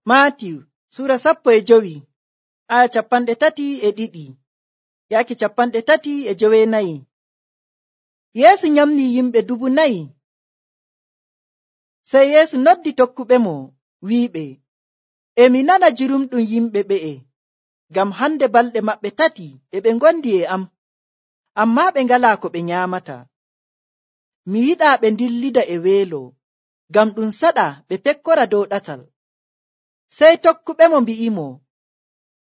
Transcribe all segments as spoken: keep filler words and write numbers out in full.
Maatiyu sura sappo e jowi aya capanɗe tati e ɗiɗi yaaki capanɗe tati e jowenayi. Yeesu nyamni yimɓe dubu nayi. Sey Yeesu noddi tokkuɓe mo wi'iɓe, emi nana jurumɗum yimɓe ɓe'e, ngam hande balɗe maɓɓe tati e ɓe ngondi e am, ammaa ɓe ngalaa ko ɓe nyaamata. Mi yiɗaa ɓe dillida e weelo, ngam ɗum saɗa ɓe pekkora dow ɗatal. Sey tokkuɓe mo mbi'imo,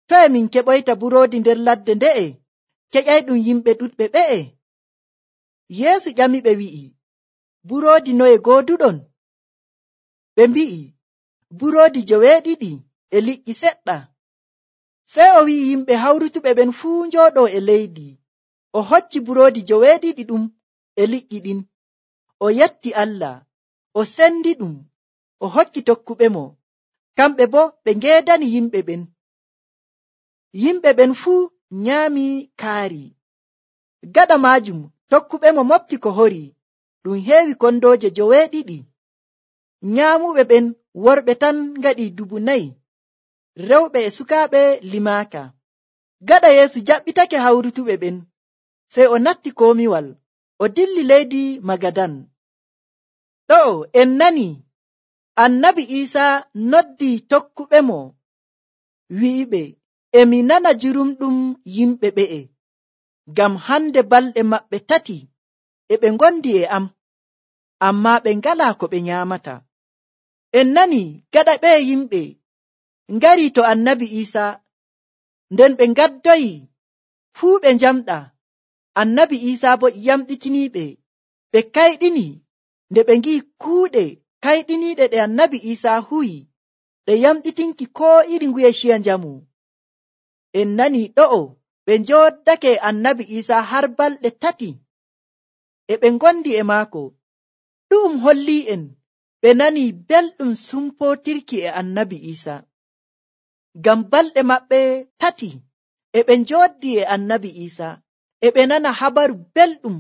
toye min keɓoyta buroodi nder ladde nde'e keƴayɗum yimɓe ɗuɗɓe ɓe'e? Yeesu ƴamiɓe wi'i, buroodi noye gooduɗon? Ɓe mbi'i, buroodi joweeɗiɗi e liƴƴi seɗɗa. Sey o wi'i yimɓe hawrutuɓe ɓen fuu njooɗoo e leydi. O hocci buroodi joweeɗiɗi ɗum e liƴƴi ɗin, o yetti Allah, o sendi ɗum, o hokki tokkuɓe mo, kamɓe boo ɓe ngeedani yimɓe ɓen. Yimɓe ɓen fuu nyaami kaari. Gaɗa maajum tokkuɓe mo mofti ko hori ɗum heewi kondooje joweeɗiɗi. Nyaamuɓe ɓen worɓe tan ngaɗi dubu nayi, rewɓe e sukaaɓe limaaka. Gaɗa Yeesu jaɓɓitake hawrutuɓe ɓen, sey o natti komiwal, o dilli leydi Magadan. Ɗo'o en nani Annabi Iisaa noddi tokkuɓe mo wi'iɓe, emi nana jurumɗum yimɓe ɓe'e, ngam hande balɗe maɓɓe tati e ɓe ngondi e am, ammaa ɓe ngalaa ko ɓe nyaamata. En nani gaɗa ɓe yimɓe ngari to Annabi Iisaa, nden ɓe ngaddoyi fuu ɓe njamɗa. Annabi Iisaa bo yamɗitiniiɓe, ɓe kayɗini nde ɓe ngi'i kuuɗe kayɗiniiɗe ɗe Annabi Iisaa huwi, ɗe yamɗitinki koo iri nguye ciya njamu. En nani ɗo'o ɓe njooddake Annabi Iisaa har balɗe tati e ɓe ngondi e maako. Ɗum hollii en ɓe nani belɗum sumpootirki e Annabi Iisaa. Ngam balɗe maɓɓe tati e ɓe njooddi e Annabi Iisaa, e ɓe nana habaru belɗum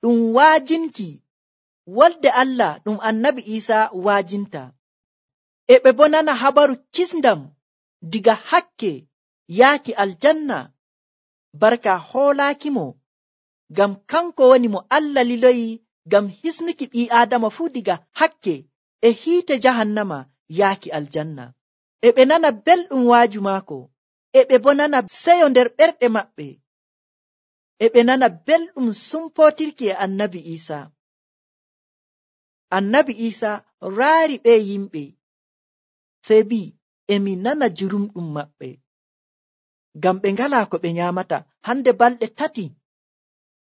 ɗum waajinki wolde Allah ɗum Annabi Iisaa waajinta. E ɓe bo nana habaru kisndam diga hakke yaaki aljanna, barka hoolaaki mo, ngam kanko woni mo Allah liloyi ngam hisnuki ɓii Aadama fuu diga hakke e hiite jahannama yaaki aljanna. E ɓe nana belɗum waaju maako, e ɓe bo nana seyo nder ɓerɗe maɓɓe, e ɓe nana belɗum sumpootirki e Annabi Iisaa. Annabi Iisaa raari ɓe yimɓe, sey bi'i, emi nana jurumɗum maɓɓe, ngam ɓe ngalaa ko ɓe nyaamata hande balɗe tati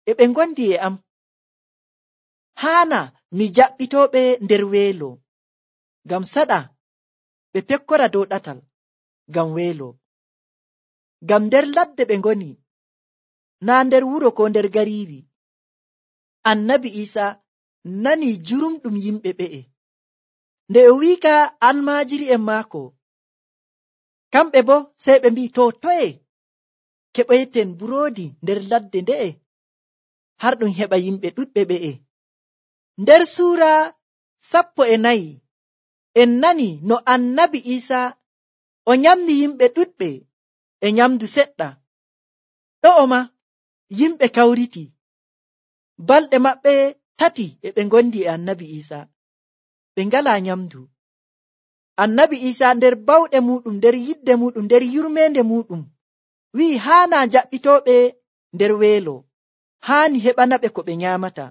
e ɓe ngondi e am. Haana mi jaɓɓitooɓe nder weelo, ngam saɗa ɓe pekkora dow ɗatal ngam weelo. Ngam nder ladde ɓe ngoni, naa nder wuro ko nder gariiri. Annabi Iisaa nani jurumɗum yimɓe ɓe'e, nde o wiika almaajiri'en maako, kamɓe bo sey ɓe mbi'i, to toye keɓoyten buroodi nder ladde nde'e har ɗum heɓa yimɓe ɗuɗɓe ɓe'e. Nder suura sappo e nayi en nani no Annabi Iisaa o nyamni yimɓe ɗuɗɓe e nyamdu seɗɗa. Ɗo'o ma yimɓe kawriti, balɗe maɓɓe tati e ɓe ngondi e Annabi Iisaa, ɓe ngalaa nyamdu. Annabi Iisaa nder bawɗe muɗum, nder yidde muɗum, nder yurmeende muɗum wi'i haana jaɓɓitooɓe nder weelo, haani heɓana ɓe ko ɓe nyaamata.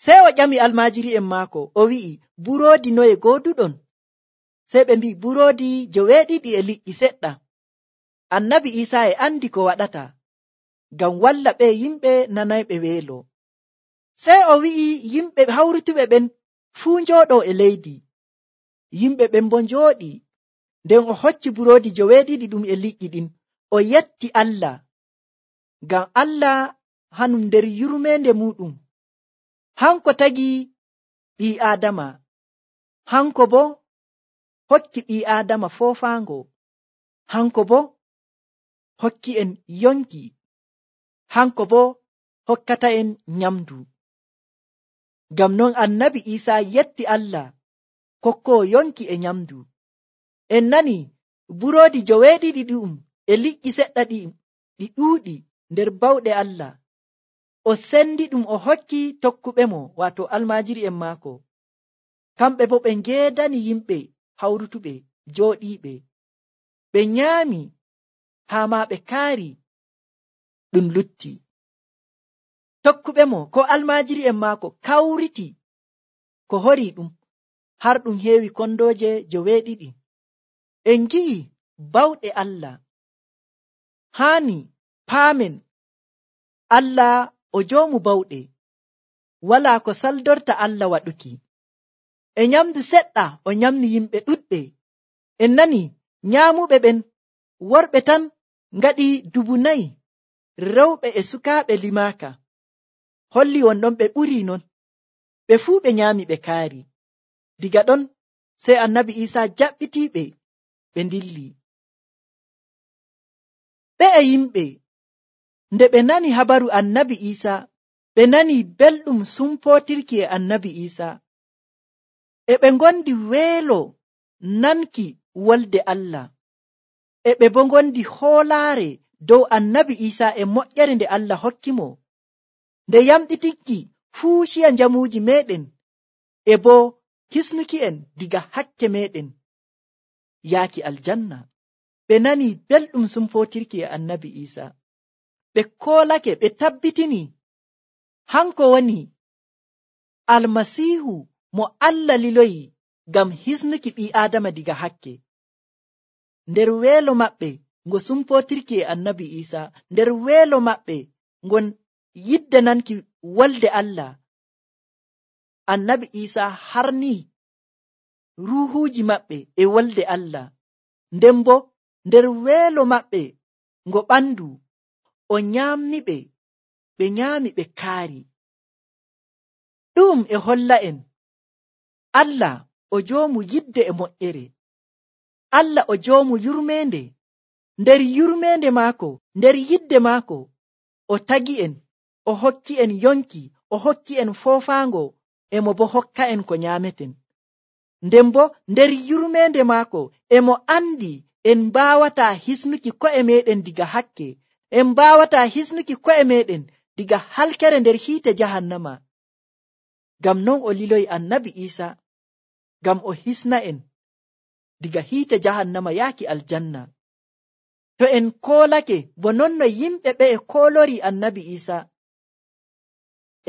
Sey o ƴami almaajiri'en maako, o wi'i, buroodi noye gooduɗon? Sey ɓe mbi'i, buroodi joweeɗiɗi e liƴƴi seɗɗa. Annabi Iisaa e andi ko waɗata, ngam walla ɓe yimɓe nanayɓe weelo. Sey o wi'i yimɓe hawrutuɓe ɓen fuu njooɗoo e leydi. Yimɓe ɓen bo njooɗi, nden o hocci buroodi joweeɗiɗi ɗum e liƴƴi ɗin, o yetti Allah, ngam Allah hanum nder yurmeende muɗum, hanko tagi ɓii Aadama, hanko bo hokki ɓii Aadama foofaango, hanko bo hokki en yonki, hanko bo hokkata en nyamdu. Ngam non Annabi Iisaa yetti Allah kokkoo yonki e nyamdu. en nani buroodi joweeɗiɗi ɗi'um e liƴƴi seɗɗa ɗi ɗi ɗuuɗi nder bawɗe Allah. O sendi ɗum o hokki tokkuɓe mo, wato almaajiri'en maako. Kamɓe bo ɓe ngeedani yimɓe hawrutuɓe jooɗiiɓe. Ɓe nyaami haa ma ɓe kaari ɗum lutti. Tokkuɓe mo ko almaajiri'en maako kawriti ko hori ɗum har ɗum heewi kondooje joweeɗiɗi. En ngi'i bawɗe Allah. Haani paamen Allah o joomu bawɗe, walaa ko saldorta Allah waɗuki. E nyamdu seɗɗa o nyamni yimɓe ɗuɗɓe. En nani nyaamuɓe ɓen worɓe tan ngaɗi dubu nayi, rewɓe e sukaaɓe limaaka. Holli wonɗon ɓe ɓurii non. Ɓe fuu ɓe nyaami ɓe kaari. Diga ɗon sey annabi Iisaa jaɓɓitiiɓe ɓe ndilli. Ɓe e yimɓe nde ɓe nani habaru annabi Iisaa, ɓe nani belɗum sumpootirki e annabi Iisaa. E ɓe ngondi weelo nanki wolde Allah. E ɓe bo ngondi hoolaare dow annabi Iisaa e moƴƴere nde Allah hokki mo, nde yamɗitinki fuu ciya njamuuji meɗen e bo hisnuki en diga hakke meɗen yaaki aljanna. Ɓe nani belɗum sumpootirki e annabi Iisaa. Ɓe koolake, ɓe tabbitini hanko woni almasiihu mo Allah liloyi ngam hisnuki ɓii Aadama diga hakke. Nder weelo maɓɓe ngo sumpootirki e annabi Iisaa, nder weelo maɓɓe ngon yiddananki wolde Allah, annabi Iisaa harnii ruuhuuji maɓɓe e wolde Allah. Nden bo nder weelo maɓɓe ngo ɓandu o nyaamniɓe, ɓe nyaami ɓe kaari. Ɗum e holla en Allah o joomu yidde e moƴƴere. Allah o joomu yurmeende. Nder yurmeende maako, nder yidde maako, o tagi en, o hokki en yonki, o hokki en foofaango, e mo bo hokka en ko nyaameten. Nden bo nder yurmeende maako e mo andi en mbaawataa hisnuki ko'e meɗen diga hakke, en mbaawataa hisnuki ko'e meɗen diga halkere nder hiite jahannama. Ngam non o liloyi annabi Iisaa ngam o hisna en diga hiite jahannama yaaki aljanna. To en koolake bo non no yimɓe ɓe e koolori annabi Iisaa,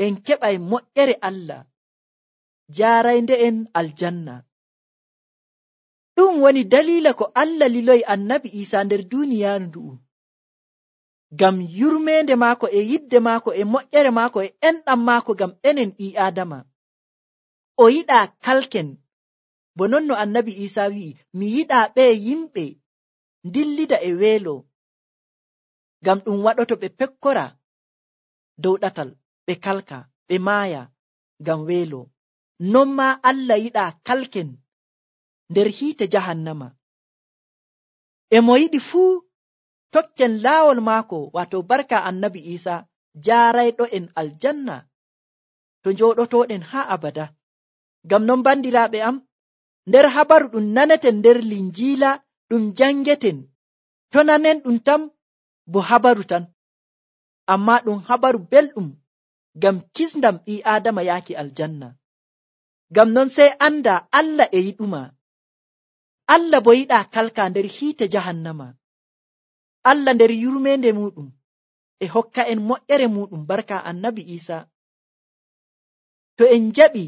en keɓay moƴƴere Allah jaaraynde en aljanna. Ɗum woni daliila ko Allah liloyi annabi Iisaa nder duuniyaaru ndu'u, ngam yurmeende maako e yidde maako e moƴƴere maako e enɗam maako ngam enen ɓii Aadama. O yiɗaa kalken, bo non no annabi Iisaa wi'i, mi yiɗaa ɓe yimɓe dillida e weelo, ngam ɗum waɗoto ɓe pekkora dow ɗatal, ɓe kalka, ɓe maaya ngam weelo. Non maa Allah yiɗaa kalken nder hiite jahannama. E mo yiɗi fuu tokken laawol maako, wato barka annabi Iisaa jaarayɗo en aljanna to njooɗotoɗen haa abada. Ngam non bandiraaɓe am, nder habaru ɗum naneten nder linjiila ɗum jangeten, to nanen ɗum tan bo habaru tan, amma ɗum habaru belɗum ngam kisndam ɓii Aadama yaaki aljanna. Ngam non sey anda Allah e yiɗuma. Allah bo yiɗaa kalka nder hiite jahannama. Allah nder yurmeende muɗum e hokka en moƴƴere muɗum barka annabi Iisaa. To en jaɓi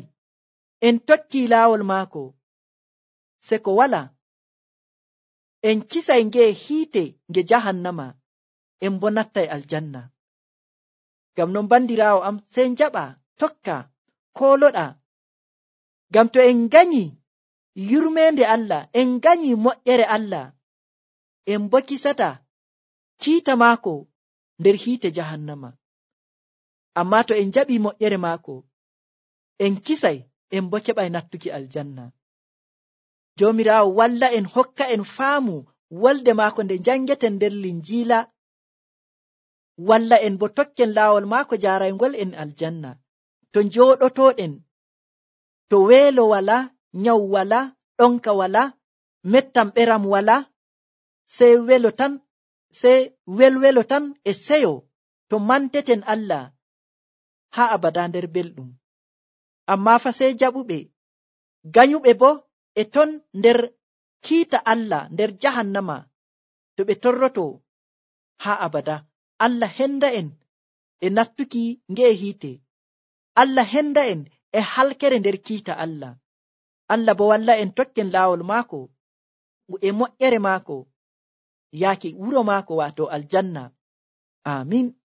en tokki laawol maako, se ko wala en kisay nge hiite nge jahannama, en bo nattay aljanna. Ngam non bandiraawo am, sey jaɓa tokka kooloɗa, ngam to en ganyi yurmeende Allah, en ganyi moƴƴere Allah, en bo kisata kiita maako nder hiite jahannama. Amma to en jaɓi moƴƴere maako, en kisay, en bo keɓay nattuki aljanna. Joomiraawo walla en, hokka en faamu wolde maako nde jangeten nder linjiila, walla en bo tokken laawol maako jaaraygol en aljanna. To njooɗotoɗen, to weelo wala, nyaw wala, ɗonka wala, mettam ɓeram wala, sey welo tan, sey welwelo tan e seyo to manteten Allah haa abada nder belɗum. Amma fa sey jaɓuɓe, ganyuɓe bo e ton nder kiita Allah nder jahannama to ɓe torroto haa abada. Allah henda en e nattuki nge'e hiite. Allah henda en e halkere nder kiita Allah. Allah bo walla en tokken laawol maako e moƴƴere maako yaaki wuro maako, waato aljanna. Amin.